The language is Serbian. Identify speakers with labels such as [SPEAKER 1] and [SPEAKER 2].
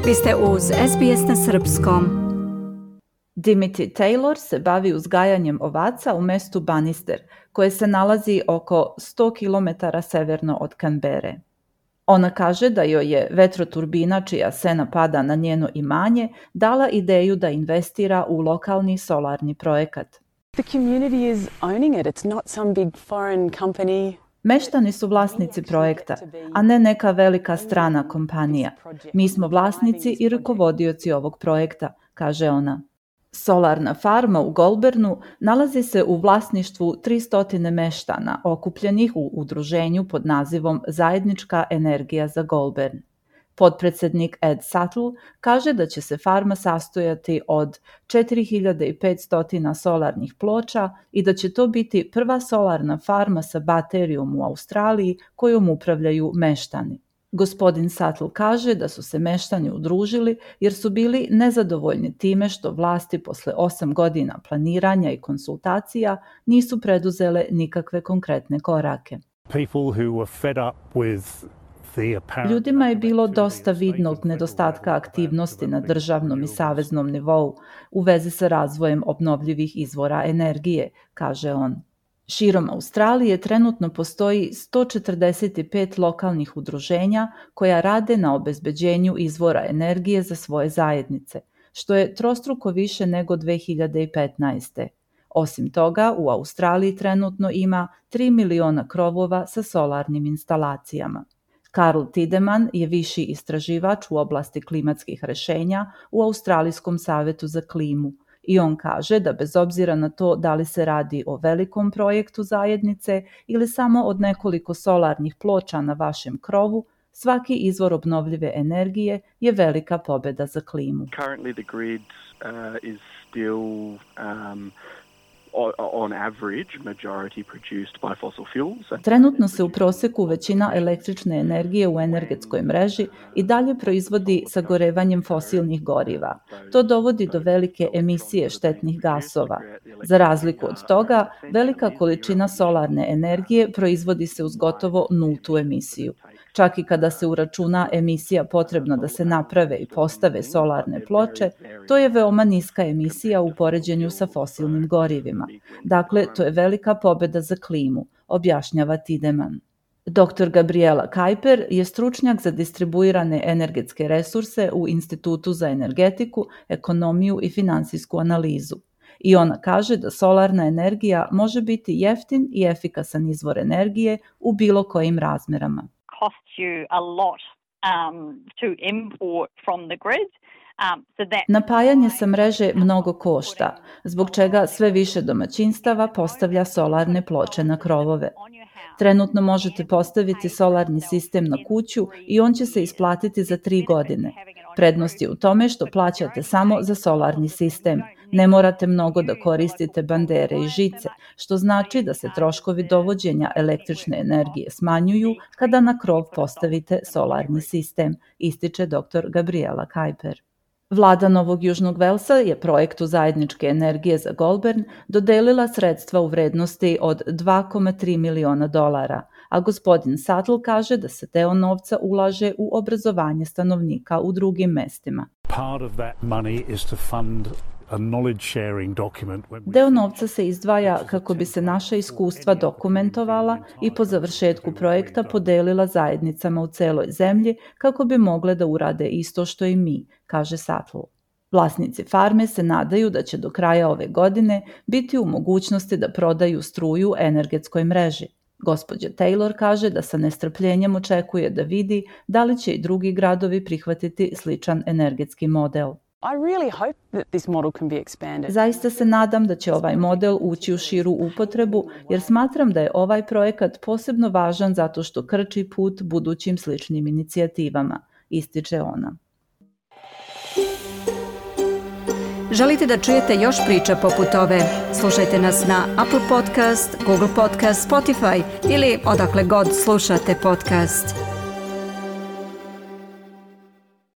[SPEAKER 1] Vi ste uz SBS na srpskom.
[SPEAKER 2] Dimitri Taylor se bavi uzgajanjem ovaca u mestu Bannister, koje se nalazi oko 100 km severno od Canberre. Ona kaže da joj je vetroturbina čija sena pada na njeno imanje dala ideju da investira u lokalni solarni projekat.
[SPEAKER 3] The community is owning it. It's not some big foreign company.
[SPEAKER 2] Meštani su vlasnici projekta, a ne neka velika strana kompanija. Mi smo vlasnici i rukovodioci ovog projekta, kaže ona. Solarna farma u Goulburnu nalazi se u vlasništvu 300 meštana okupljenih u udruženju pod nazivom Zajednička energija za Goulburn. Potpredsednik Ed Suttle kaže da će se farma sastojati od 4500 solarnih ploča i da će to biti prva solarna farma sa baterijom u Australiji kojom upravljaju meštani. Gospodin Suttle kaže da su se meštani udružili jer su bili nezadovoljni time što vlasti posle 8 godina planiranja i konsultacija nisu preduzele nikakve konkretne korake. Ljudima je bilo dosta vidnog nedostatka aktivnosti na državnom i saveznom nivou u vezi sa razvojem obnovljivih izvora energije, kaže on. Širom Australije trenutno postoji 145 lokalnih udruženja koja rade na obezbeđenju izvora energije za svoje zajednice, što je trostruko više nego 2015. Osim toga, u Australiji trenutno ima 3 miliona krovova sa solarnim instalacijama. Karl Tiedemann je viši istraživač u oblasti klimatskih rešenja u Australijskom savetu za klimu i on kaže da bez obzira na to da li se radi o velikom projektu zajednice ili samo od nekoliko solarnih ploča na vašem krovu, svaki izvor obnovljive energije je velika pobeda za klimu.
[SPEAKER 4] Currently the grid is still on average majority produced by fossil fuels.
[SPEAKER 2] Trenutno se u proseku većina električne energije u energetskoj mreži i dalje proizvodi sagorevanjem fosilnih goriva. To dovodi do velike emisije štetnih gasova. Za razliku od toga, velika količina solarne energije proizvodi se uz gotovo nultu emisiju. Čak i kada se uračuna emisija potrebna da se naprave i postave solarne ploče, to je veoma niska emisija u poređenju sa fosilnim gorivima. Dakle, to je velika pobeda za klimu, objašnjava Tiedemann. Dr. Gabriela Kuiper je stručnjak za distribuirane energetske resurse u Institutu za energetiku, ekonomiju i finansijsku analizu. I ona kaže da solarna energija može biti jeftin i efikasan izvor energije u bilo kojim razmerama.
[SPEAKER 5] Costs you a lot to import from the grid.
[SPEAKER 2] Napajanje sa mreže mnogo košta, zbog čega sve više domaćinstava postavlja solarne ploče na krovove. Trenutno možete postaviti solarni sistem na kuću i on će se isplatiti za 3 godine. Prednost je u tome što plaćate samo za solarni sistem. Ne morate mnogo da koristite bandere i žice, što znači da se troškovi dovođenja električne energije smanjuju kada na krov postavite solarni sistem, ističe dr. Gabriela Kuiper. Vlada Novog Južnog Velsa je projektu Zajedničke energije za Goulburn dodelila sredstva u vrednosti od $2,3 miliona, a gospodin Suttle kaže da se deo novca ulaže u obrazovanje stanovnika u drugim mestima. Deo novca se izdvaja kako bi se naša iskustva dokumentovala i po završetku projekta podelila zajednicama u celoj zemlji kako bi mogle da urade isto što i mi, kaže Suttle. Vlasnici farme se nadaju da će do kraja ove godine biti u mogućnosti da prodaju struju energetskoj mreži. Gospođa Taylor kaže da sa nestrpljenjem očekuje da vidi da li će i drugi gradovi prihvatiti sličan energetski model. Zaista se nadam da će ovaj model ući u širu upotrebu jer smatram da je ovaj projekat posebno važan zato što krči put budućim sličnim inicijativama, ističe ona.
[SPEAKER 1] Želite da čujete još priča poput ove? Slušajte nas na Apple Podcast, Google Podcast, Spotify ili odakle god slušate podcast.